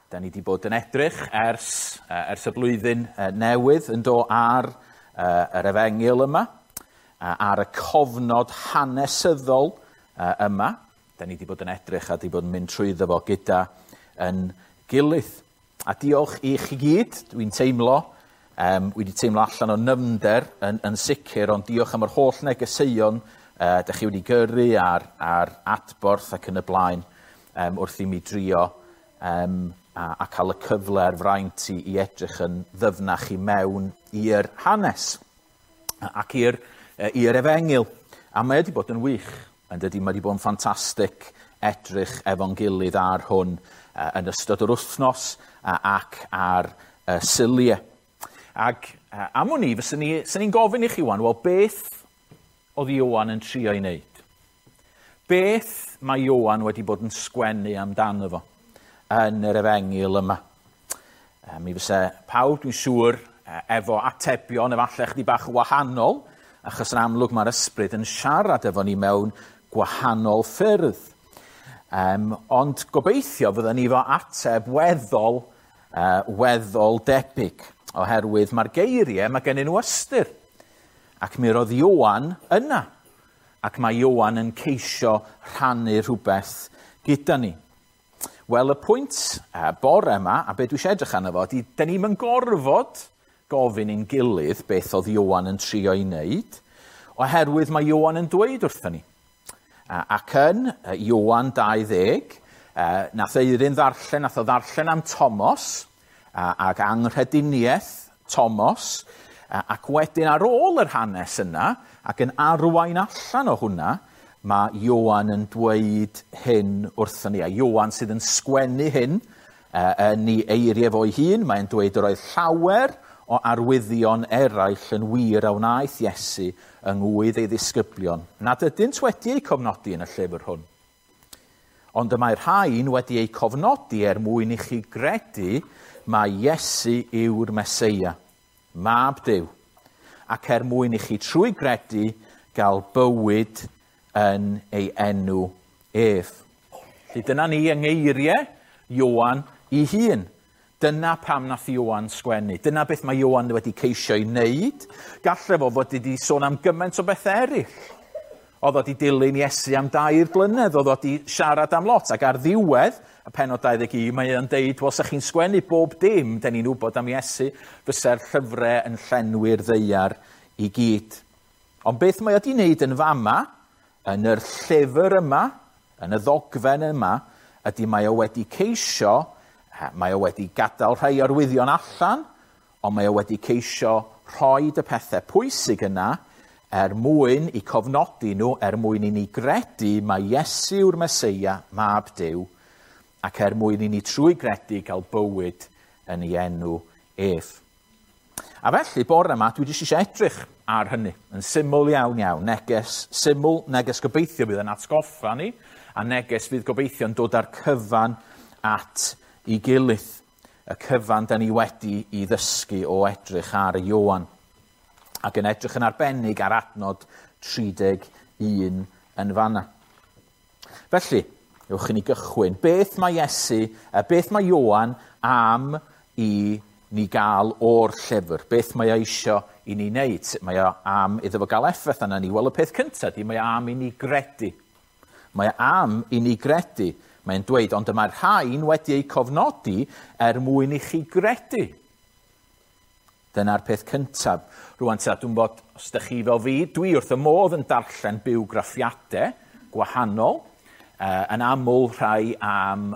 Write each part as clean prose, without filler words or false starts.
Da ni wedi bod yn edrych ers y blwyddyn newydd yn do ar yr efengyl yma, ar y cofnod hanesyddol yma. Da ni wedi bod yn edrych a wedi bod yn mynd trwyddo fo gyda yn gilydd. A diolch i chi gyd, dwi'n teimlo, wedi teimlo allan o nyfnder yn sicr, ond diolch am yr holl negeseuon da chi wedi gyrru ar adborth ac yn y blaen wrth i mi drio a cael y cyfle a'r fraint i edrych yn ddyfnach i mewn i'r hanes ac i'r efengyl. A mae wedi bod yn wych, yn dydy, mae wedi bod yn ffantastig edrych efo'n gilydd ar hwn yn ystod yr wythnos ac ar Suliau. Ac am wn i, fyswn ni'n gofyn i chi wan, wel beth oedd Ioan yn trio ei wneud? Beth mae Ioan wedi bod yn sgwennu amdano fo yn yr efengyl yma? Mi fysa pawb, dwi'n siŵr, efo atebion efallai chydig bach wahanol, achos yn amlwg mae'r ysbryd yn siarad efo ni mewn gwahanol ffyrdd. Ond gobeithio fydden ni efo ateb weddol debyg, oherwydd mae'r geiriau, mae gennyn nhw ystyr. Ac mi roedd Ioan yna, ac mae Ioan yn ceisio rhannu rhywbeth gyda ni. Wel, y pwynt bore yma, a be dwi eisiau edrych arno fo, ydy, da ni'm yn gorfod gofyn i'n gilydd beth oedd Ioan yn trio ei wneud, oherwydd mae Ioan yn dweud wrthyn ni. Ac yn Ioan 20, nath Eirin ddarllen, nath o ddarllen am Tomos, ac anghrediniaeth Tomos, ac wedyn ar ôl yr hanes yna, ac yn arwain allan o hwnna, mae Ioan yn dweud hyn wrthyn ni. A Ioan sydd yn sgwennu hyn yn ei eiriau fo'i hun, mae'n dweud yr oedd llawer o arwyddion eraill yn wir a wnaeth Iesu yng ngwydd ei ddisgyblion, nad ydynt wedi eu cofnodi yn y llyfr hwn. Ond y mae'r rhain wedi eu cofnodi er mwyn i chi gredu mai Iesu yw'r Meseia, Mab Duw, ac er mwyn i chi trwy gredu gael bywyd yn ei enw ef. Felly dyna ni yng ngeiriau Ioan ei hun. Dyna pam nath Ioan sgwennu. Dyna beth mae Ioan wedi ceisio ei wneud. Gallai fo fod wedi sôn am gymaint o bethau eraill. Oedd wedi dilyn Iesu am 2 blynedd, oedd wedi siarad am lot. Ac ar ddiwedd y pennod 21, mae o'n deud, wel, sa chi'n sgwennu bob dim, da ni'n wybod am Iesu, fysa'r llyfrau yn llenwi'r ddaear i gyd. Ond beth mae wedi wneud yn fama, yn yr llyfr yma, yn y ddogfen yma, ydy mae o wedi ceisio, mae o wedi gadael rhai arwyddion allan, ond mae o wedi ceisio rhoi y pethau pwysig yna er mwyn i cofnodi nhw, er mwyn i ni gredu mai Iesu yw'r Meseia, Mab Duw, ac er mwyn i ni trwy gredu gael bywyd yn ei enw ef. A felly, bore yma, dwi jyst eisiau edrych ar hynny, yn syml iawn iawn. Neges syml, neges gobeithio fydd yn atgoffa ni, a neges fydd gobeithio yn dod â'r cyfan at ei gilydd. Y cyfan da ni wedi i ddysgu o edrych ar Ioan. Ac yn edrych yn arbennig ar adnod 31 yn fanna. Felly, ewch i ni gychwyn. Beth mae Iesu, beth mae Ioan am i ni gael o'r llyfr? Beth mae o eisio i ni wneud? Sut mae o am iddo fo gael effaith arna ni? Wel, y peth cyntaf ydy, mae o am i ni gredu. Mae o am i ni gredu. Mae'n dweud, ond y mae'r rhain wedi eu cofnodi er mwyn i chi gredu. Dyna'r peth cyntaf. Rwan ta, dwi'n bod, os ydych chi fel fi, dwi wrth y modd yn darllen bywgraffiadau gwahanol, yn aml rhai am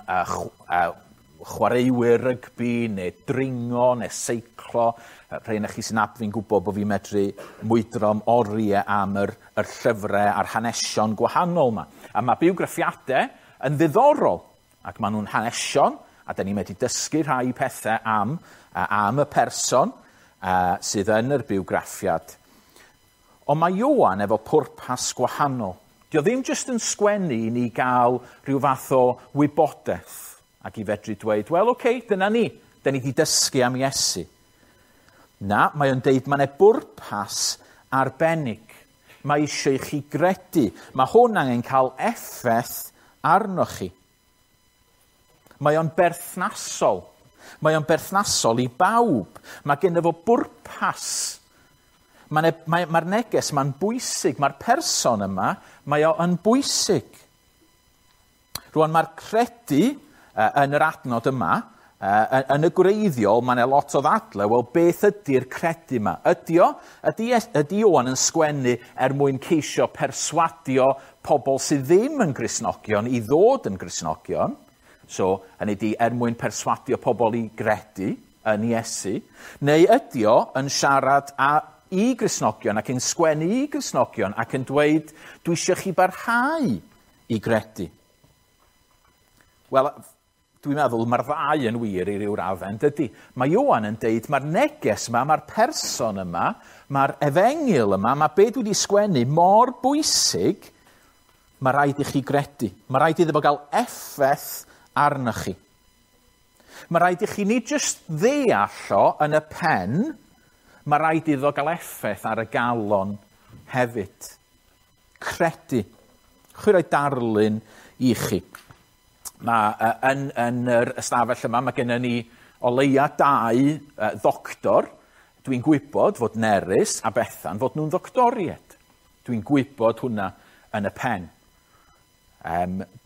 chwaraewyr rygbi, neu dringo, neu seiclo. Rhai yna chi sy'n nabod fi'n gwybod bod fi'n medru mwydro am oriau am yr llyfrau a'r hanesion gwahanol yma. A mae bywgraffiadau yn ddiddorol, ac maen nhw'n hanesion, a da ni'n medru dysgu rhai pethau am y person sydd yn yr bywgraffiad. Ond mae Ioan efo pwrpas gwahanol. Dio ddim jyst yn sgwennu i ni gael rhyw fath o wybodaeth ac i fedru dweud, wel, oce, dyna ni, da ni wedi dysgu am Iesu. Na, mae o'n deud mae yna bwrpas arbennig. Mae eisiau i chi gredu. Mae hwn angen cael effaith arnoch chi. Mae o'n berthnasol. Mae o'n berthnasol i bawb. Mae genno fo bwrpas. Mae'r neges ma'n bwysig. Mae'r person yma, mae o yn bwysig. Rwan mae'r credu yn yr adnod yma, yn y gwreiddiol, mae yna lot o ddadle, wel beth ydy'r credu yma? Ydy Ioan yn sgwennu er mwyn ceisio perswadio pobl sydd ddim yn Gristnogion i ddod yn Gristnogion? So, hynny ydy, er mwyn perswadio pobl i gredu yn Iesu, neu ydy o yn siarad i Gristnogion ac yn sgwennu i Gristnogion ac yn dweud, dwi eisiau chi barhau i gredu? Wel, dwi'n meddwl mae'r ddau yn wir i ryw raddau, dydy. Mae Ioan yn deud, mae'r neges yma, mae'r person yma, mae'r efengyl yma, mae be dwi wedi sgwennu mor bwysig, mae rhaid i chi gredu. Mae rhaid iddo fo gael effaith arnoch chi. Mae rhaid i chi nid jyst ddeall o yn y pen, mae rhaid iddo gael effaith ar y galon hefyd. Credu. Chwi roi darlun i chi. Mae yn yr ystafell yma, mae gennym ni o leia 2 ddoctor. Dwi'n gwybod fod Nerys a Bethan fod nhw'n ddoctoriaid. Dwi'n gwybod hwnna yn y pen.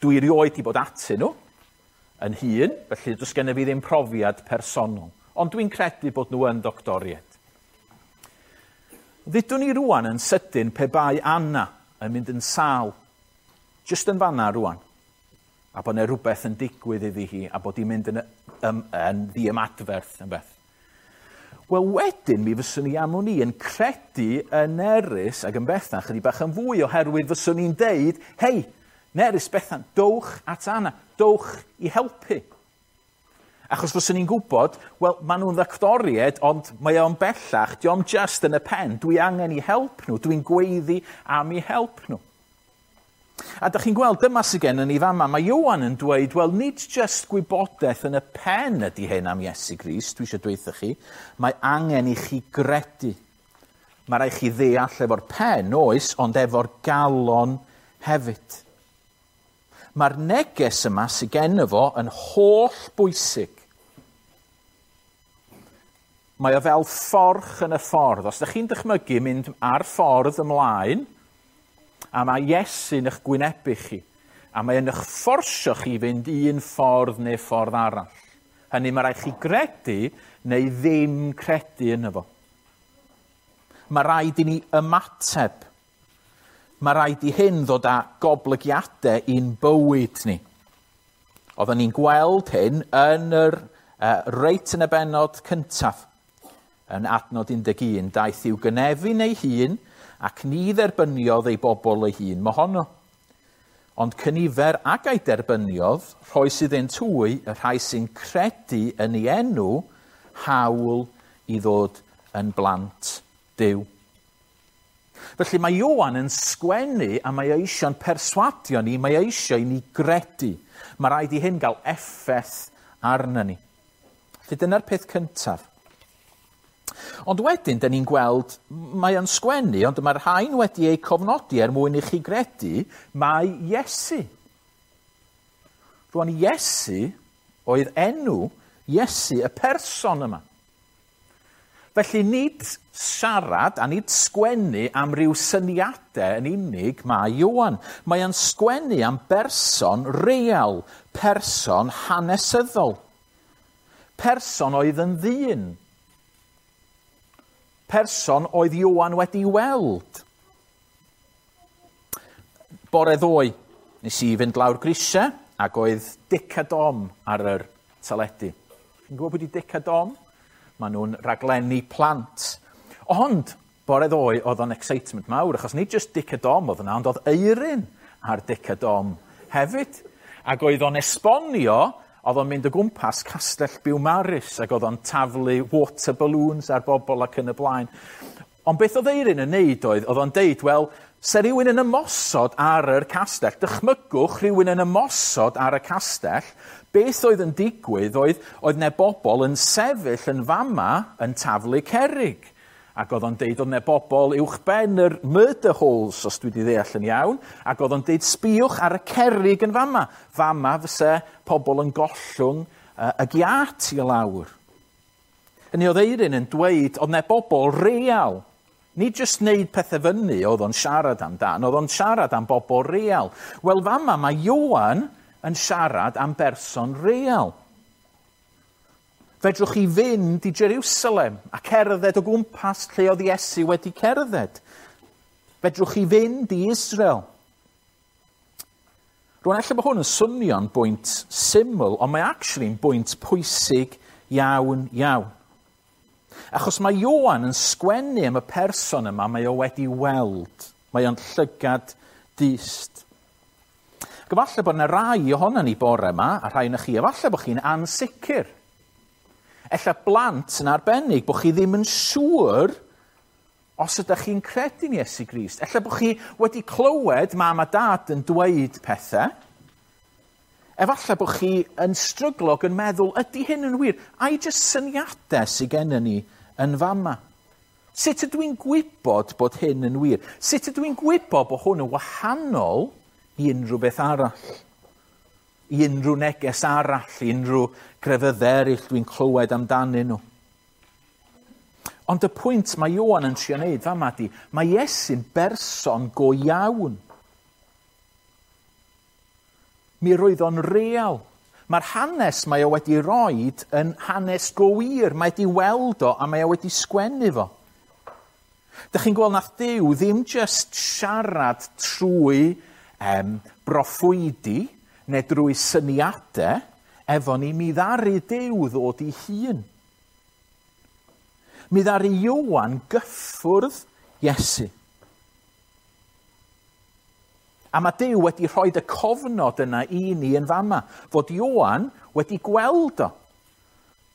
Dwi erioed wedi bod atyn nhw yn hun, felly does gennym fi ddim profiad personol. Ond dwi'n credu bod nhw yn ddoctoriaid. Ddudwn ni rwan yn sydyn pe bai Anna yn mynd yn sâl, jyst yn fanna rwan, a bod yna rhywbeth yn digwydd iddi hi, a bod hi'n mynd yn ddiymadferth yn beth. Wel, wedyn mi fyswn i am wn i yn credu yn Nerys ac yn Bethan chydig bach yn fwy, oherwydd fyswn i'n deud, hei, Nerys, Bethan, dowch at Anna, dowch i helpu. Achos fyswn i'n gwybod, wel, maen nhw'n ddoctoriaid, ond mae o'n bellach, dio'm just yn y pen, dwi angen i help nhw, dwi'n gweiddi am i help nhw. A dych chi'n gweld, dyma sydd gen ni fama, mae Ioan yn dweud, wel, nid just gwybodaeth yn y pen ydy hyn am Iesu Grist, dwi eisiau dweud chi, mae angen i chi gredu. Mae rhaid chi ddeall efo'r pen, oes, ond efo'r galon hefyd. Mae'r neges yma sydd gen fo yn holl bwysig. Mae o fel fforch yn y ffordd. Os ydych chi'n dychmygu mynd ar ffordd ymlaen, a mae Iesu'n eich gwynebu chi, a mae yn eich fforsio chi fynd un ffordd neu ffordd arall. Hynny mae rhaid chi gredu neu ddim credu yno fo. Mae rhaid i ni ymateb. Mae rhaid i hyn ddod â goblygiadau i'n bywyd ni. Oedden ni'n gweld hyn yn yr reit yn y bennod cyntaf. Yn adnod 11, daeth i'w gynefin ei hun ac ni dderbyniodd ei bobl ei hun mohono. Ond cynifer ag ei derbyniodd, rhoes iddynt hwy, y rhai sy'n credu yn ei enw, hawl i ddod yn blant Duw. Felly mae Ioan yn sgwennu a mae eisiau'n perswadio ni, mae eisiau i ni gredu. Mae rhaid i hyn gael effaith arna ni. Felly dyna'r peth cyntaf. Ond wedyn, dyn ni'n gweld, mae o'n sgwennu, ond mae'r rhain wedi eu cofnodi er mwyn i chi gredu, mae Iesu. Rwan, Iesu oedd enw Iesu, y person yma. Felly nid siarad a nid sgwennu am ryw syniadau yn unig mae Ioan. Mae o'n sgwennu am berson real, person hanesyddol. Person oedd yn ddyn. Person oedd Ioan wedi weld. Bore ddoe, nes i fynd lawr grisiau ac oedd Dic a Dom ar yr teledu. Chi'n gwybod pwy 'di Dic a Dom? Maen nhw'n raglenni plant. Ond, bore ddoe, oedd o'n excitement mawr, achos nid just Dic a Dom oedd yna, ond oedd Eirin ar Dic a Dom hefyd. Ac oedd o'n esbonio, oedd o'n mynd o gwmpas Castell Biwmaris, ac oedd o'n taflu water balloons ar bobl ac yn y blaen. Ond beth oedd Eirin yn neud oedd o'n deud, wel, se rhywun yn ymosod ar yr castell, dychmygwch rhywun yn ymosod ar y castell, beth oedd yn digwydd oedd 'na bobl yn sefyll yn fama yn taflu cerrig. Ac oedd o'n deud oedd 'na bobl uwchben yr murder holes, os dwi wedi ddeall yn iawn, ac oedd o'n deud sbïwch ar y cerrig yn fama. Fama fyse pobl yn gollwng y giât i lawr. Hynny oedd Eirin yn dweud oedd 'na bobl real. Nid jyst wneud pethau fyny oedd o'n siarad amdan, oedd o'n siarad am bobl real. Wel, fama mae Ioan yn siarad am berson real. Fedrwch chi fynd i Jerusalem a cerdded o gwmpas lle oedd Iesu wedi cerdded. Fedrwch chi fynd i Israel. Rwan, ella bod hwn yn swnio'n bwynt syml, ond mae actually'n bwynt pwysig iawn, iawn. Achos mae Ioan yn sgwennu am y person yma mae o wedi weld. Mae o'n llygad dyst. Ac efallai bod yna rai ohono ni bore yma, a rhai yna chi, efallai bod chi'n ansicr. Ella blant yn arbennig, bod chi ddim yn siŵr os ydych chi'n credu'n Iesu Grist. Ella bod chi wedi clywed mam a dad yn dweud pethau. Efallai bod chi yn stryglo ac yn meddwl, ydy hyn yn wir? Ai jyst syniadau sydd gennym ni yn fama? Sut ydw i'n gwybod bod hyn yn wir? Sut ydw i'n gwybod bod hwn yn wahanol i unrhyw beth arall? I unrhyw neges arall, i unrhyw grefyddau eraill dwi'n clywed amdanyn nhw. Ond y pwynt mae Ioan yn trio wneud fama di, mae Iesu'n berson go iawn. Mi roedd o'n real. Mae'r hanes mae o wedi roed yn hanes go wir. Mae wedi weld o a mae o wedi sgwennu fo. Dych chi'n gweld nath Duw ddim jyst siarad trwy broffwydi neu drwy syniadau efo ni, mi ddaru Duw ddod i hun. Mi ddaru Ioan gyffwrdd Iesu. A mae Duw wedi rhoi y cofnod yna i ni yn fama, fod Ioan wedi gweld o.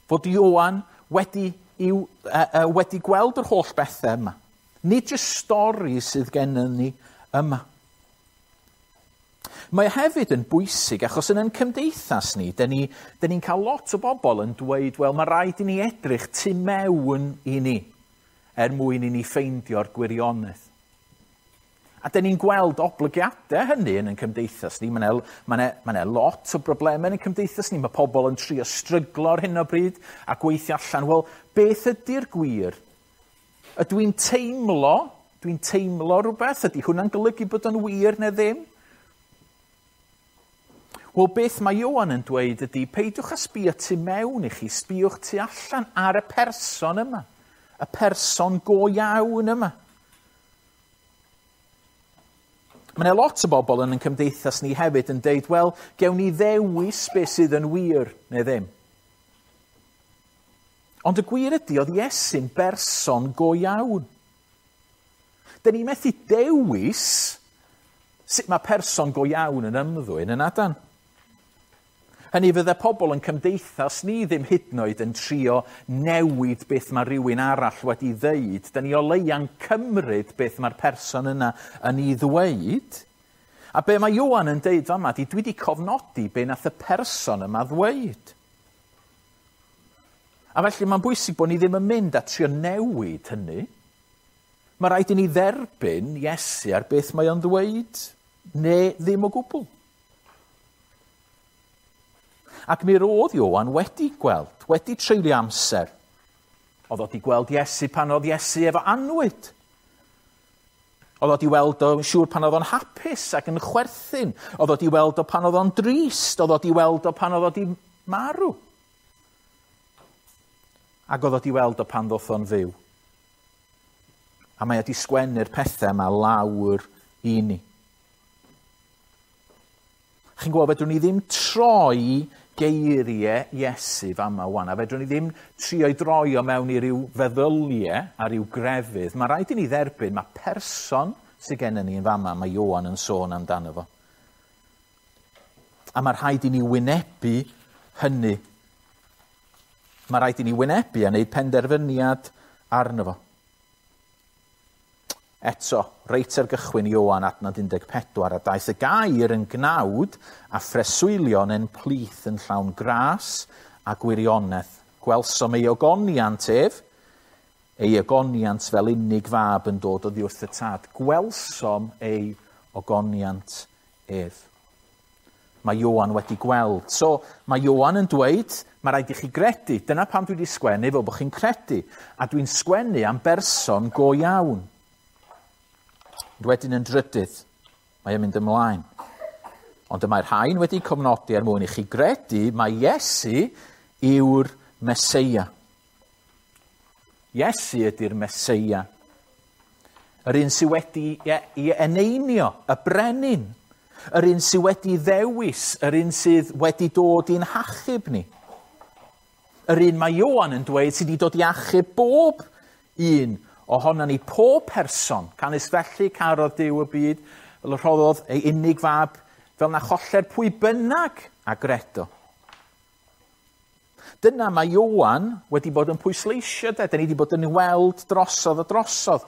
Fod Ioan wedi gweld yr holl bethau yma. Nid jyst stori sydd gennym ni yma. Mae hefyd yn bwysig achos yn ein cymdeithas ni, dyn ni'n cael lot o bobl yn dweud, wel, mae rhaid i ni edrych tu mewn i ni er mwyn i ni ffeindio'r gwirionedd. A dyn ni'n gweld oblygiadau hynny yn ein cymdeithas ni. Mae 'na lot o broblemau yn ein cymdeithas ni. Mae pobl yn trio stryglo ar hyn o bryd a gweithio allan, wel, beth ydy'r gwir? Ydw i'n teimlo rhywbeth? Ydy hwnna'n golygu bod o'n wir neu ddim? Wel, beth mae Ioan yn dweud ydy, peidiwch â sbio tu mewn i chi, sbïwch tu allan ar y person yma, y person go iawn yma. Mae yna lot o bobl yn ein cymdeithas ni hefyd yn deud, wel, gewn ni ddewis beth sydd yn wir neu ddim. Ond y gwir ydy, oedd Iesu'n berson go iawn. Dyn ni methu dewis sut mae person go iawn yn ymddwyn yn adan. Hynny fydde pobl yn cymdeithas ni ddim hyd yn oed yn trio newid beth mae rhywun arall wedi ddeud. Dyn ni o leia'n cymryd beth mae'r person yna yn ei ddweud. A be mae Ioan yn deud fama di, dwi wedi cofnodi be nath y person yma ddweud. A felly mae'n bwysig bod ni ddim yn mynd a trio newid hynny. Mae rhaid i ni dderbyn Iesu ar beth mae o'n ddweud, neu ddim o gwbl. Ac mi roedd Ioan wedi gweld, wedi treulio amser. Oedd o wedi gweld Iesu pan oedd Iesu efo annwyd. Oedd o wedi weld o'n siŵr pan oedd o'n hapus ac yn chwerthin. Oedd o wedi weld o pan oedd o'n drist. Oedd o wedi weld o pan oedd o wedi marw. Ac oedd o wedi weld o pan ddoth o'n fyw. A mae wedi sgwennu'r pethau yma lawr i ni. Chi'n gweld, fedrwn ni ddim troi geiriau Iesu fama wan, a fedrwn ni ddim trio i droi o mewn i ryw feddyliau a ryw grefydd. Mae rhaid i ni dderbyn, mae person sydd gennym ni yn fama, mae Ioan yn sôn amdano fo. A mae rhaid i ni wynebu hynny. Mae rhaid i ni wynebu a wneud penderfyniad arno fo. Eto, reit ar gychwyn Ioan adnod 14, a daeth y gair yn gnawd a phreswylion yn plith yn llawn gras a gwirionedd. Gwelsom ei ogoniant ef, Ei ogoniant fel unig fab yn dod oddi wrth y Tad. Gwelsom ei ogoniant ef. Mae Ioan wedi gweld. So, mae Ioan yn dweud, mae rhaid i chi gredu. Dyna pam dwi wedi sgwennu, fel bod chi'n credu. A dwi'n sgwennu am berson go iawn. Wedyn yn drydydd, mae o'n mynd ymlaen. Ond y mae'r rhain wedi cofnodi er mwyn i chi gredu mae Iesu yw'r Meseia. Iesu ydy'r Meseia. Yr un sydd wedi ei eneinio, y brenin. Yr un sydd wedi ddewis, yr un sydd wedi dod i'n hachub ni. Yr un mae Ioan yn dweud sydd wedi dod i achub bob un ohonon ni, pob person. Canys felly carodd Duw y byd, fel y rhoddodd ei unig fab, fel na choller pwy bynnag a gredo. Dyna mae Ioan wedi bod yn pwysleisio, de. Da ni wedi bod yn weld drosodd a drosodd.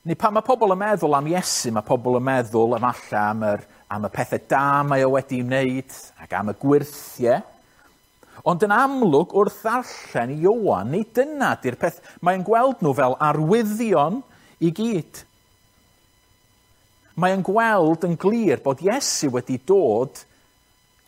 Neu pan mae pobl yn meddwl am Iesu, mae pobl yn meddwl efallai am y pethau da mae o wedi wneud ac am y gwyrthiau. Ond yn amlwg, wrth ddarllen Ioan, nid dyna di'r peth. Mae'n gweld nhw fel arwyddion i gyd. Mae'n gweld yn glir bod Iesu wedi dod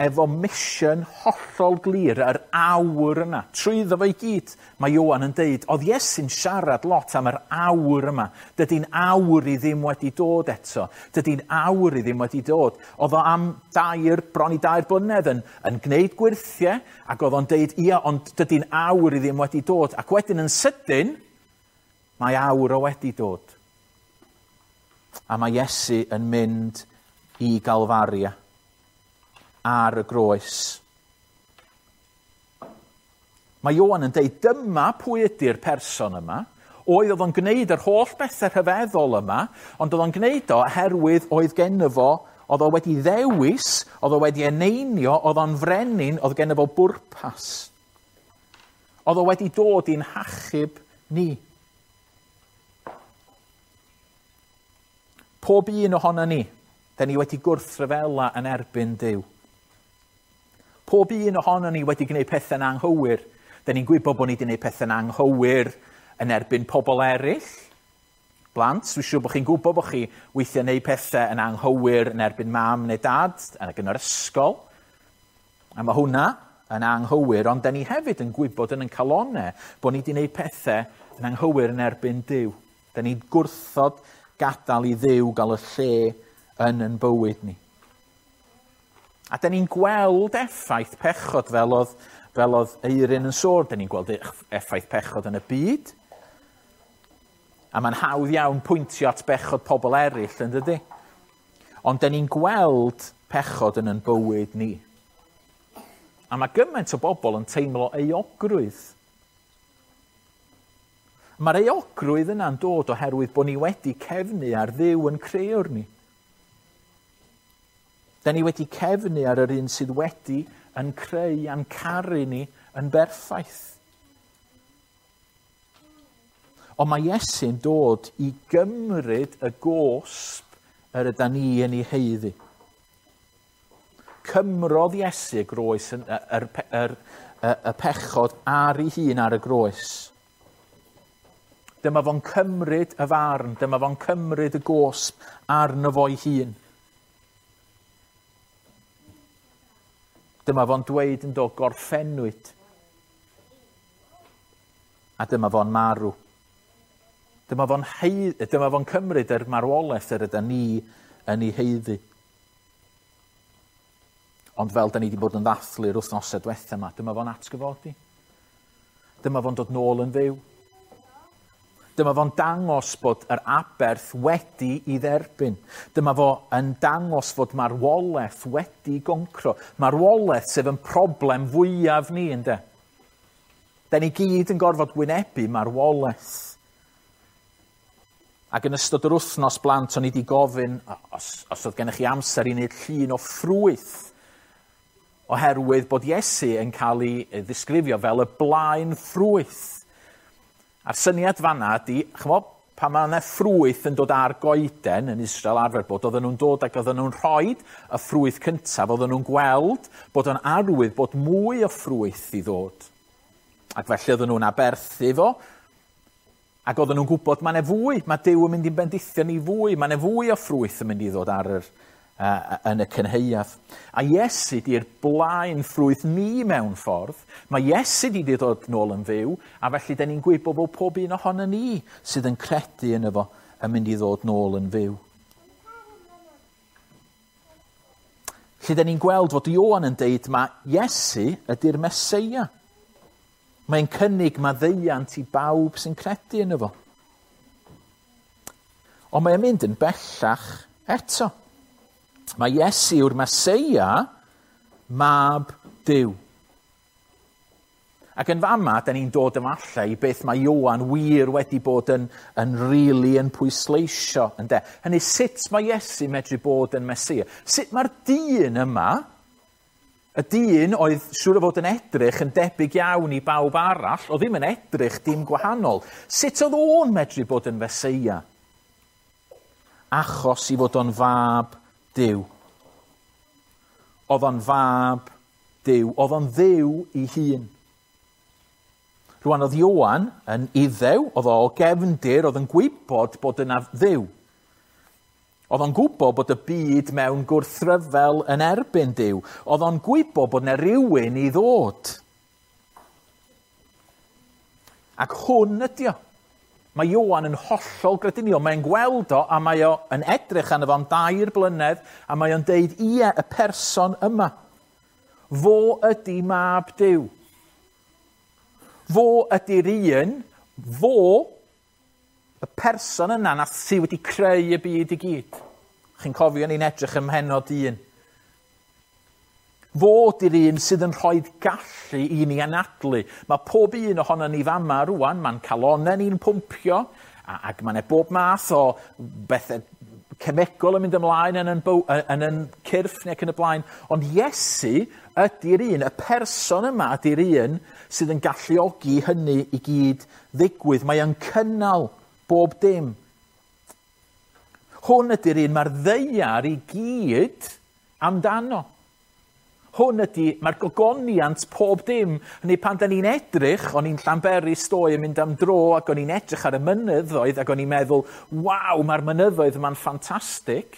efo mission hollol glir, yr awr yna. Trwyddo fo i gyd, mae Ioan yn deud, oedd Iesu'n siarad lot am yr awr yma. Dydy'n awr i ddim wedi dod eto. Dydy'n awr i ddim wedi dod. Oedd o am bron i 2 blynedd yn gwneud gwyrthiau, ac oedd o'n deud, ia, ond dydy'n awr i ddim wedi dod. Ac wedyn yn sydyn, mae awr o wedi dod. A mae Iesu yn mynd i Galfaria ar y groes. Mae Ioan yn deud, dyma pwy ydy'r person yma. Oedd o'n gwneud yr holl bethau rhyfeddol yma, ond oedd o'n gwneud o oherwydd oedd genno fo, oedd o wedi ddewis, oedd o wedi eneinio, oedd o'n frenin, oedd genno fo bwrpas. Oedd o wedi dod i'n hachub ni. Pob un ohono ni, da ni wedi gwrthryfela yn erbyn Duw. Pob un ohono ni wedi gwneud pethau'n anghywir. Da ni'n gwybod bod ni wedi gwneud pethau'n anghywir yn erbyn pobl eraill. Blant, dwi'n siŵr bod chi'n gwybod bod chi weithiau gwneud pethau yn anghywir yn erbyn mam neu dad, ac yn yr ysgol. A mae hwnna yn anghywir, ond da ni hefyd yn gwybod yn ein calonau bod ni wedi gwneud pethau yn anghywir yn erbyn Duw. Da ni'n gwrthod gadael i Dduw gael y lle yn ein bywyd ni. A da ni'n gweld effaith pechod fel oedd Eirin yn sôn. Da ni'n gweld effaith pechod yn y byd. A mae'n hawdd iawn pwyntio at bechod pobl eraill, yn dydy? Ond da ni'n gweld pechod yn ein bywyd ni. A mae gymaint o bobl yn teimlo euogrwydd. Mae'r euogrwydd yna'n dod oherwydd bod ni wedi cefnu ar Dduw yn creuwr ni. Da ni wedi cefnu ar yr un sydd wedi yn creu a'n caru ni yn berffaith. Ond mae Iesu'n dod i gymryd y gosb yr ydan ni yn ei haeddu. Cymrodd Iesu y groes, y pechod ar ei hun ar y groes. Dyma fo'n cymryd y farn, dyma fo'n cymryd y gosb arno fo'i hun. Dyma fo'n dweud yn dod gorffennwyd. A dyma fo'n marw. Dyma fo'n cymryd yr marwolaeth yr ydan ni yn ei haeddu. Ond fel da ni wedi bod yn ddathlu'r wythnosau diwetha yma, dyma fo'n atgyfodi. Dyma fo'n dod nôl yn fyw. Dyma fo'n dangos bod yr aberth wedi i dderbyn. Dyma fo yn dangos fod marwolaeth wedi goncro. Marwolaeth sef yn problem fwyaf ni, ynde? Da ni gyd yn gorfod wynebu marwolaeth. Ac yn ystod yr wythnos blant, o'n i wedi gofyn, os oedd gennych chi amser i wneud llun o ffrwyth, oherwydd bod Iesu yn cael ei ddisgrifio fel y blaen ffrwyth. A'r syniad fanna ydy, ch'mo, pan mae yna ffrwyth yn dod ar goeden yn Israel arfer bod, oedden nhw'n dod ac oedden nhw'n rhoi y ffrwyth cyntaf, oedden nhw'n gweld bod o'n arwydd bod mwy o ffrwyth i ddod. Ac felly oedden nhw'n aberthu fo, Ac oedden nhw'n gwybod mae yna fwy, mae Duw yn mynd i'n bendithio ni fwy, mae yna fwy o ffrwyth yn mynd i ddod ar yr, yn y cynhaeaf. A Iesu di'r blaen ffrwyth ni mewn ffordd. Mae Iesu di ddod nôl yn fyw, a felly da ni'n gwybod bod pob un ohono ni sydd yn credu yn efo yn mynd i ddod nôl yn fyw. Lle da ni'n gweld fod Ioan yn deud mae Iesu ydy'r Meseia. Mae'n cynnig maddeuant i bawb sy'n credu yno fo. Ond mae'n mynd yn bellach eto. Mae Iesu yw'r Meseia, mab Duw. Ac yn fama, da ni'n dod efallai i beth mae Ioan wir wedi bod yn, yn rili yn pwysleisio. Ynde? Hynny, sut mae Iesu medru bod yn Meseia? Sut mae'r dyn yma, y dyn oedd siŵr o fod yn edrych yn debyg iawn i bawb arall, oedd ddim yn edrych dim gwahanol. Sut oedd o'n medru bod yn Feseia? Achos i fod o'n fab Duw. Oedd o'n fab Duw. Oedd o'n Dduw i hun. Rwan oedd Ioan yn Iddew, oedd o gefndir, oedd yn gwybod bod yna Dduw. Oedd o'n gwybod bod y byd mewn gwrthryfel yn erbyn Duw. Oedd o'n gwybod bod yna rhywun i ddod. Ac hwn ydi o. Mae Ioan yn hollol grediniol. Mae'n gweld o a mae o yn edrych arno fo am 3 blynedd a mae o'n deud, ie, y person yma. Fo ydi mab Duw. Fo ydi'r un, fo, y person yna nath sydd wedi creu y byd i gyd. Chi'n cofio ni'n edrych ym mhennod 1. Fo ydi'r un sydd yn rhoi gallu i ni anadlu. Mae pob un ohono ni fama rwan, mae'n calonnau ni'n pwmpio, ac mae'n bob math o bethau cemegol yn mynd ymlaen yn yn cyrff neu ac yn y blaen. Ond Iesu ydy'r un, y person yma ydy'r un sydd yn galluogi hynny i gyd ddigwydd. Mae o'n cynnal bob dim. Hwn ydy'r un mae'r ddaear i gyd amdano. Hwn ydy, mae'r gogoniant pob dim. Hynny pan da ni'n edrych, o'n i'n Llanberis ddoe yn mynd am dro ac o'n i'n edrych ar y mynyddoedd ac o'n i'n meddwl, waw, mae'r mynyddoedd yma'n ffantastig.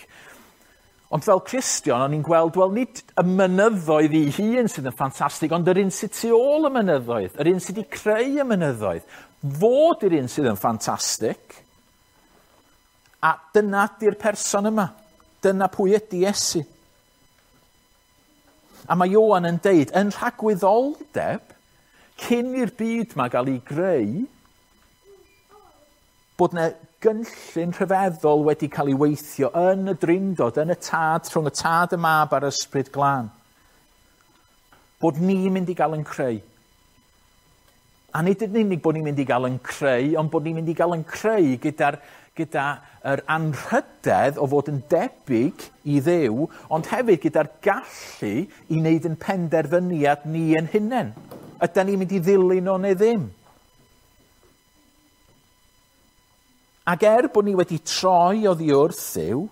Ond fel Cristion, o'n i'n gweld, wel, nid y mynyddoedd ei hun sydd yn ffantastig, ond yr un sydd tu ôl y mynyddoedd, yr un sydd wedi creu y mynyddoedd. Fod yr un sydd yn ffantastig. A dyna ydy'r person yma. Dyna pwy ydy Iesu. A mae Ioan yn deud, yn rhagwyddoldeb, cyn i'r byd ma gael ei greu, bod yna gynllun rhyfeddol wedi cael ei weithio yn y drindod, yn y tad, rhwng y tad, y mab a'r ysbryd glân. Bod ni'n mynd i gael yn creu. A nid yn unig bod ni'n mynd i gael yn creu, ond bod ni'n mynd i gael yn creu gyda yr anrhydedd o fod yn debyg i Dduw, ond hefyd gyda'r gallu i wneud yn penderfyniad ni yn hunain. Ydan ni'n mynd i ddilyn o neu ddim? Ac er bod ni wedi troi oddi wrth Dduw,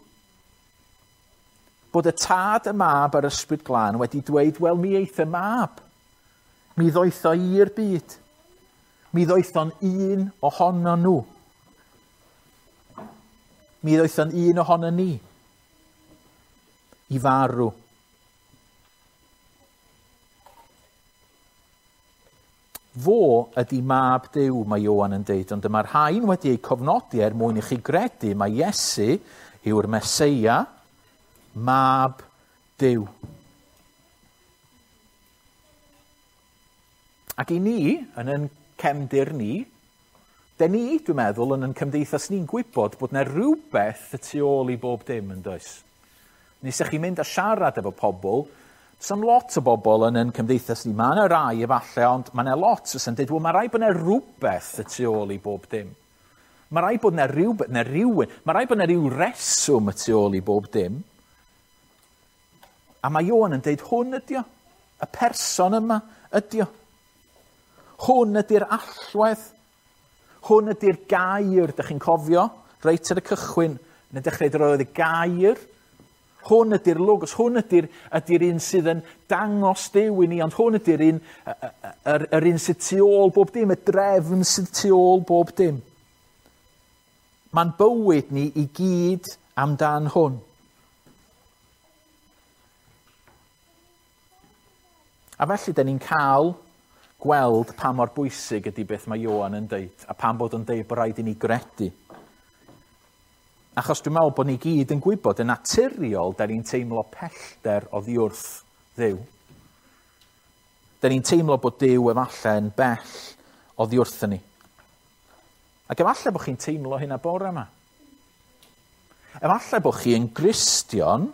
bod y tad, y mab a'r ysbryd glân wedi dweud, wel, mi eith y mab. Mi ddoeth o i'r byd. Mi ddoeth o'n un ohono nhw. Mi ddoeth o'n un ohono ni i farw. Fo ydy mab Duw, mae Ioan yn deud, ond dyma'r rhain wedi eu cofnodi er mwyn i chi gredu mae Iesu yw'r Meseia, mab Duw. Ac i ni, yn ein cefndir ni, de ni, dwi'n meddwl, yn ein cymdeithas ni'n gwybod bod yna rhywbeth y tu ôl i bob dim, yn does? Nes ych chi'n mynd a siarad efo pobl, does lot o bobl yn ein cymdeithas ni. Mae yna rai efallai, ond mae yna lot sy'n dweud, wel, mae rai bod yna rhywbeth y tu ôl i bob dim. Mae rai bod yna rhywbeth, na rhywun, mae rai bod yna rhyw reswm y tu ôl i bob dim. A mae Ioan yn deud, hwn ydi o. Y person yma ydi o. Hwn ydy'r allwedd. Hwn ydy'r gair, dych chi'n cofio, reit ar y cychwyn, yn y dechrau roedd y gair. Hwn ydy'r logos, hwn ydy'r un sydd yn dangos Duw i ni, ond hwn ydy'r un, yr un sydd tu ôl bob dim, y drefn sydd tu ôl bob dim. Mae'n bywyd ni i gyd amdan hwn. A felly, da ni'n cael gweld pa mor bwysig ydy beth mae Ioan yn deud, a pam bod yn deud bod rhaid i ni gredu. Achos dwi'n meddwl bod ni gyd yn gwybod yn naturiol, da ni'n teimlo pellter oddi wrth Dduw. Da ni'n teimlo bod Duw efallai yn bell oddi wrthyn ni. Ac efallai bod chi'n teimlo hynna bore yma. Efallai bod chi yn Gristion,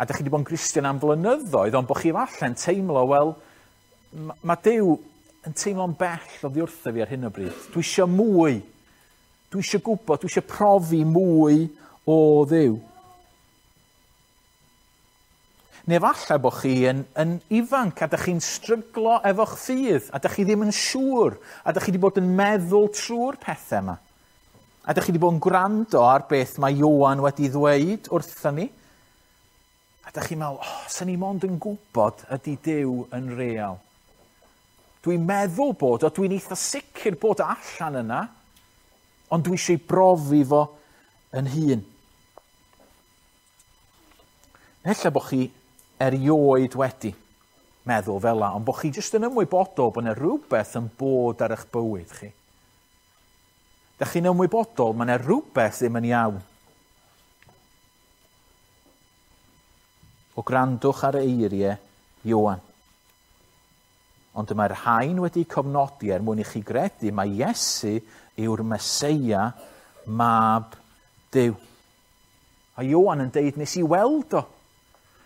a da chi wedi bod yn Gristion am flynyddoedd, ond bod chi efallai'n teimlo, wel, mae Duw yn teimlo'n bell oddi wrtho fi ar hyn o bryd. Dwi eisiau mwy. Dwi eisiau gwybod, dwi eisiau profi mwy o Dduw. Neu efallai bod chi yn ifanc a dych chi'n stryglo efo'ch ffydd a dych chi ddim yn siŵr a dych chi wedi bod yn meddwl trwy'r pethau yma. A dych chi wedi bod yn gwrando ar beth mae Ioan wedi ddweud wrthon ni. A dych chi'n meddwl, oh, sy'n ni mond yn gwybod ydy Duw yn real. Dwi'n meddwl bod o, dwi'n eitha sicr bod o allan yna, ond dwi eisiau brofi fo yn hun. Ella bod chi erioed wedi meddwl fel la, ond bod chi jyst yn ymwybodol bod yna rhywbeth yn bod ar eich bywyd chi. Dych chi'n ymwybodol mae yna rhywbeth ddim yn iawn. O grandwch ar eiriau Ioan. Ond y mae'r rhain wedi cofnodi er mwyn i chi gredu mai Iesu yw'r Meseia, mab Duw. A Ioan yn deud, nes i weld o.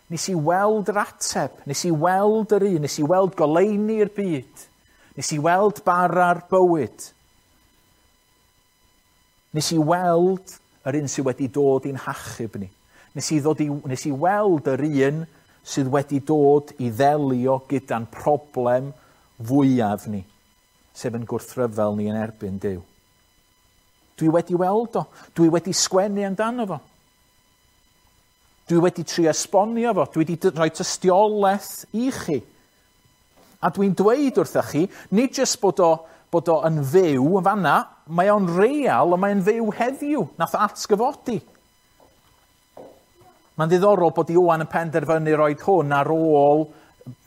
Nes i weld yr ateb. Nes i weld yr un. Nes i weld goleuni'r byd. Nes i weld bara'r bywyd. Nes i weld yr un sydd wedi dod i'n hachub ni. Nes i weld yr un sydd wedi dod i ddelio gyda'n problem fwyaf ni, sef yn gwrthryfel ni yn erbyn Duw. Dwi wedi weld o. Dwi wedi sgwennu amdano fo. Dwi wedi trio esbonio fo. Dwi wedi rhoi tystiolaeth i chi. A dwi'n dweud wrthych chi, nid jyst bod o yn fyw yn fanna, mae o'n real, ond mae'n fyw heddiw. Nath o atgyfodi. Mae'n ddiddorol bod Ioan yn penderfynu roed hwn ar ôl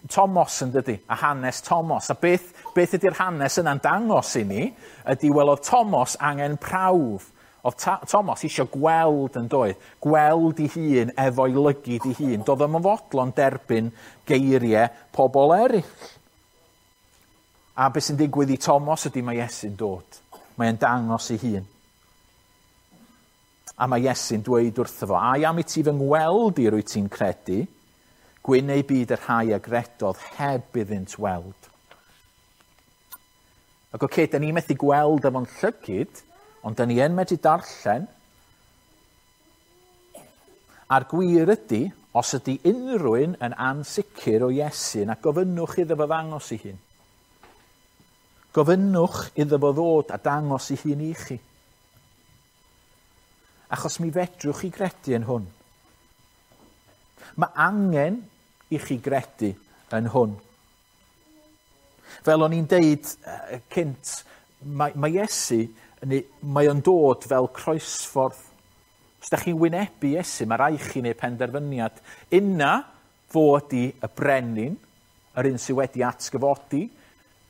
Tomos yn dydy, a hanes Tomos. A beth ydy'r hanes yna'n dangos i ni, ydy wel oedd Tomos angen prawf. Oedd Tomos eisiau gweld yn doedd, gweld ei hun efo'i lygid ei hun. Doedd o'm yn fodlon derbyn geiriau pobl eraill. A beth sy'n digwydd i Tomos ydy mae Iesu'n dod. Mae'n dangos ei hun. A mae Iesu'n dweud wrtho fo, ai am i ti fy ngweld i rwy ti'n credu, gwyn ei byd y rhai a gredodd heb iddynt weld. Ac oce, da ni methu gweld efo'n llygid, ond da ni yn medru darllen. A'r gwir ydy, os ydy unrhyw un yn ansicr o Iesu, na gofynnwch iddo fo ddangos ei hun. Gofynnwch iddo fo ddod a dangos ei hun i chi. Achos mi fedrwch chi gredu yn hwn. Mae angen i chi gredu yn hwn. Fel o'n i'n deud cynt, mae Iesu, mae o'n dod fel croesffordd. Os da chi'n wynebu Iesu, mae rhaid chi wneud penderfyniad. Una fo ydi y brenin, yr un sydd wedi atgyfodi,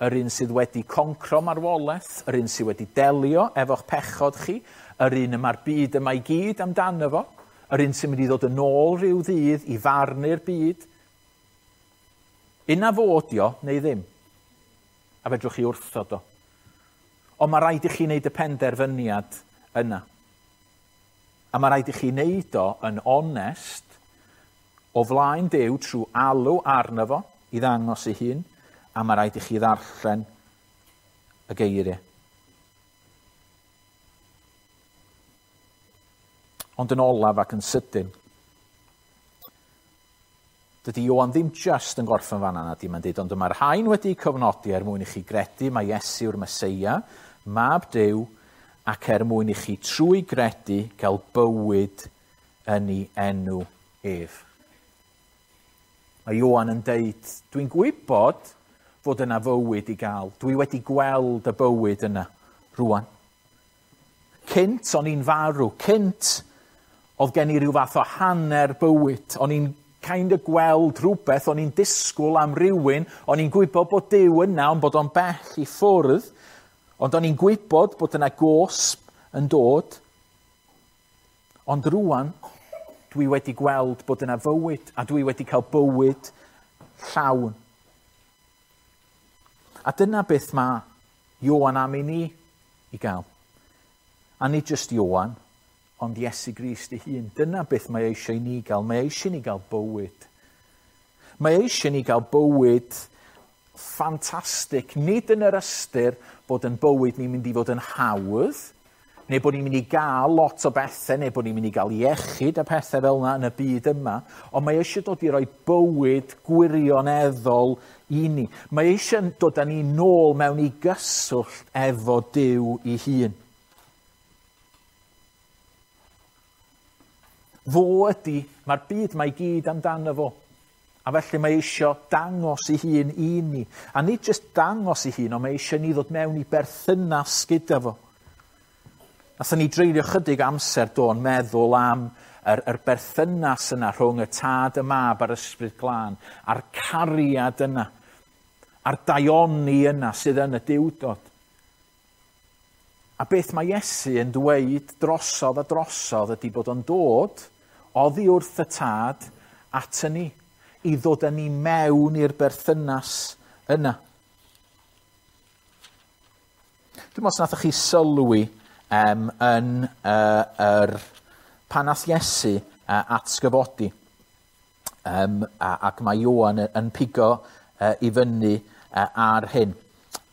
yr un sydd wedi concro marwolaeth, yr un sydd wedi delio efo'ch pechod chi, yr un y mae'r byd yma i gyd amdano fo, yr un sy'n mynd i ddod yn ôl rhyw ddydd i farnu'r byd. Una fo ydi o, neu ddim. A fedrwch chi wrthod o. Ond mae rhaid i chi wneud y penderfyniad yna. A mae rhaid i chi wneud o yn onest o flaen Duw trwy alw arno fo i ddangos ei hun, a mae rhaid i chi ddarllen y geiriau. Ond yn olaf ac yn sydyn, dydy Ioan ddim just yn gorffen fan'na, na di, mae'n dweud, ond mae'r rhain wedi cofnodi er mwyn i chi gredu mae Iesu yw'r Meseia, mab Duw, ac er mwyn i chi trwy gredu gael bywyd yn ei enw ef. Mae Ioan yn deud, dwi'n gwybod fod yna fywyd i gael. Dwi wedi gweld y bywyd yna rwan. Cynt o'n i'n farw, cynt oedd gen i ryw fath o hanner bywyd. O'n i'n kind of gweld rhywbeth, o'n i'n disgwyl am rywun, o'n i'n gwybod bod Duw yna, ond bod o'n bell i ffwrdd, ond o'n i'n gwybod bod yna gosb yn dod. Ond rwan, dwi wedi gweld bod yna fywyd, a dwi wedi cael bywyd llawn. A dyna beth mae Ioan am i ni i gael. A nid jyst Ioan, ond Iesu Grist ei hun. Dyna beth mae eisiau i ni gael. Mae eisiau ni gael bywyd. Mae eisiau ni gael bywyd ffantastig. Nid yn yr ystyr bod yn bywyd ni'n mynd i fod yn hawdd, neu bod ni'n mynd i gael lot o bethau, neu bod ni'n mynd i gael iechyd a pethau fel yna yn y byd yma, ond mae eisiau dod i roi bywyd gwirioneddol i ni. Mae eisiau dod â ni nôl mewn i gyswllt efo Duw ei hun. Fo ydy, mae'r byd mae gyd amdano fo. A felly mae eisiau dangos ei hun i ni. A nid jyst dangos ei hun, ond mae eisiau ni ddod mewn i berthynas gyda fo. Nathon ni dreulio chydig amser do'n meddwl am yr berthynas yna rhwng y Tad, y Mab a'r Ysbryd Glân, a'r cariad yna, a'r daioni yna sydd yn y Duwdod. A beth mae Iesu yn dweud drosodd a drosodd ydy bod o'n dod oddi wrth y Tad at ni, i ddod â ni mewn i'r berthynas yna. Dwi'n meddwl os nathoch chi sylwi yn yr pan nath Iesu atgyfodi, ac mae Ioan yn pigo i fyny ar hyn.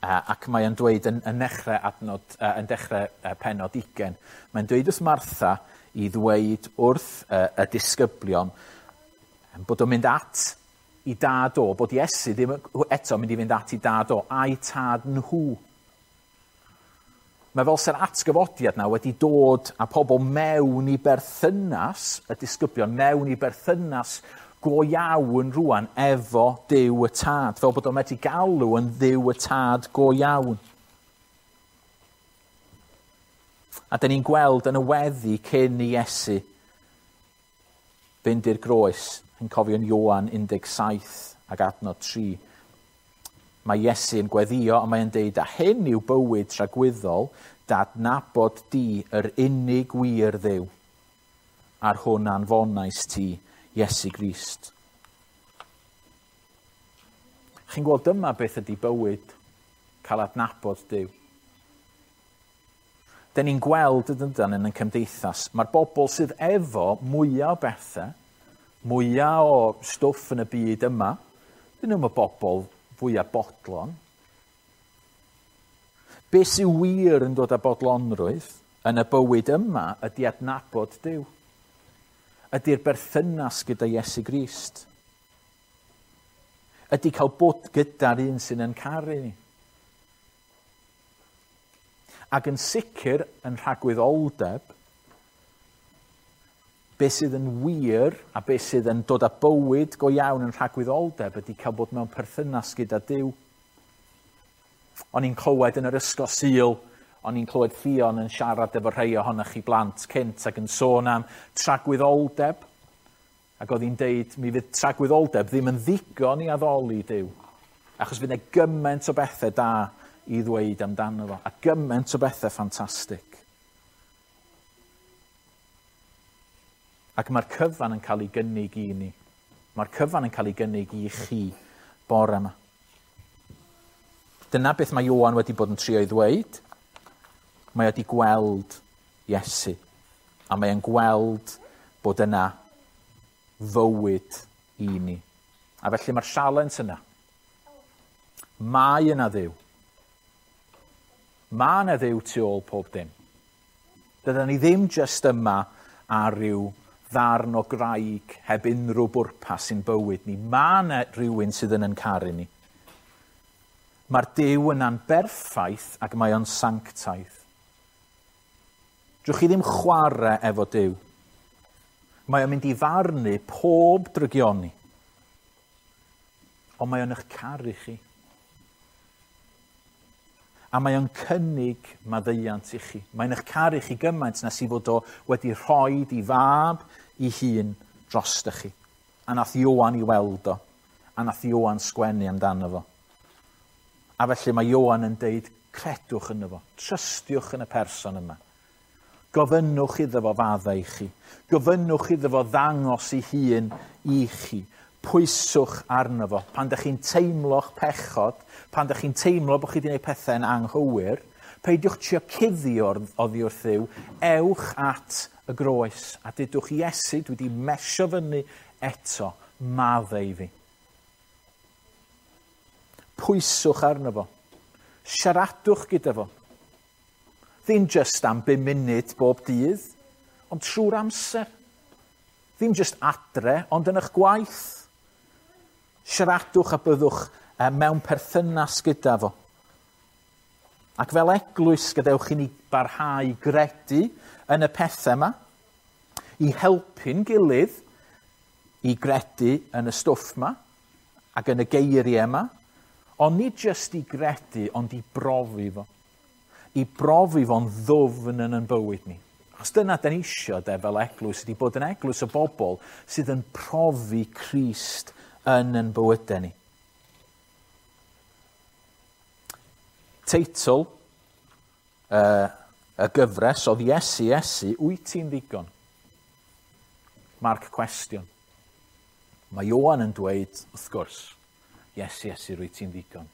Ac mae o'n dweud yn dechrau adnod, yn dechrau pennod 20. Mae'n dweud wrth Martha i ddweud wrth y disgyblion bod o'n mynd at i dad o, bod Iesu ddim eto mynd i fynd at i dad o, a'i tad nhw. Mae fel sy'r atgyfodiad na wedi dod â pobl mewn i berthynas, y disgyblion mewn i berthynas go iawn rwan efo Duw y Tad, fel bod o'n medru galw yn Dduw y Tad go iawn. A dyn ni'n gweld yn y weddi cyn i Iesu fynd i'r groes, yn cofio'n Ioan 17 ac adnod 3. Mae Iesu yn gweddio a mae'n deud, a hyn yw bywyd tragwyddol, dadnabod di yr unig wir Dduw, a'r hwn anfonais ti, Iesu Grist. Chi'n gweld dyma beth ydy bywyd, cael adnabod Duw. Dyn ni'n gweld yn yn cymdeithas, mae'r bobl sydd efo mwyaf o bethau, mwyaf o stwff yn y byd yma, dyn nhw'n y bobl fwyaf bodlon. Be sy'n wir yn dod â bodlonrwydd yn y bywyd yma ydy adnabod Duw. Ydy'r berthynas gyda Iesu Grist. Ydy cael bod gyda'r un sy'n yn caru ni. Ac yn sicr yn rhagwyddoldeb, beth sydd yn wir a beth sydd yn dod â bywyd go iawn yn rhagwyddoldeb ydy cael bod mewn perthynas gyda Duw. O'n i'n clywed yn yr ysgol Sul, o'n i'n clywed Ffion yn siarad efo rhai ohonoch chi blant cynt ac yn sôn am tragwyddoldeb. Ac oedd hi'n deud, mi fydd tragwyddoldeb ddim yn ddigon i addoli Duw. Achos fydd yna gymaint o bethau da i ddweud amdano fo, a gymaint o bethau ffantastig. Ac mae'r cyfan yn cael ei gynnig i ni. Mae'r cyfan yn cael ei gynnig i chi bore yma. Dyna beth mae Ioan wedi bod yn trio ei ddweud. Mae wedi gweld Iesu. A mae e'n gweld bod yna fywyd i ni. A felly mae'r sialens yna. Mae yna Dduw. Mae yna Dduw tu ôl pob dim. Dydan ni ddim jyst yma ar ryw ddarn o graig heb unrhyw bwrpas sy'n bywyd ni. Mae yna rhywun sydd yn caru ni. Mae'r Duw yna'n berffaith ac mae o'n sanctaidd. Drwch chi ddim chwarae efo Duw. Mae o'n mynd i farnu pob drygioni. Ond mae o'n eich caru chi. A mae o'n cynnig maddeuant i chi. Mae'n eich caru chi gymaint nes i fod o wedi rhoi i fab i hun drost chi. A nath Ioan i weld o. A nath Ioan sgwennu amdano fo. A felly mae Ioan yn deud, credwch yno fo. Trystiwch yn y person yma. Gofynnwch iddo fo faddau i chi. Gofynnwch iddo fo ddangos ei hun i chi. Pwyswch arno fo. Pan ydych chi'n teimlo'ch pechod, pan ydych chi'n teimlo bod chi wedi gwneud pethau'n anghywir, peidiwch trio cuddio oddi wrth Dduw, ewch at y groes a dudwch Iesu, dwi wedi mesio fyny eto, maddau i fi. Pwyswch arno fo. Siaradwch gyda fo. Ddim jyst am 5 munud bob dydd, ond trwy'r amser. Ddim jyst adre, ond yn eich gwaith. Siaradwch a byddwch mewn perthynas gyda fo. Ac fel eglwys, gadewch i ni barhau gredu yn y pethau yma, i helpu'n gilydd i gredu yn y stwff yma ac yn y geiriau yma, ond nid jyst i gredu, ond i brofi fo. I brofi fo'n ddwfn yn ein bywyd ni. Achos dyna da ni isio de fel eglwys, ydy bod yn eglwys o bobl sydd yn profi Crist yn ein bywydau ni. Teitl y gyfres oedd Iesu, Iesu, wyt ti'n ddigon? Marc cwestiwn. Mae Ioan yn dweud, wrth gwrs, Iesu, Iesu, rwyt ti'n ddigon.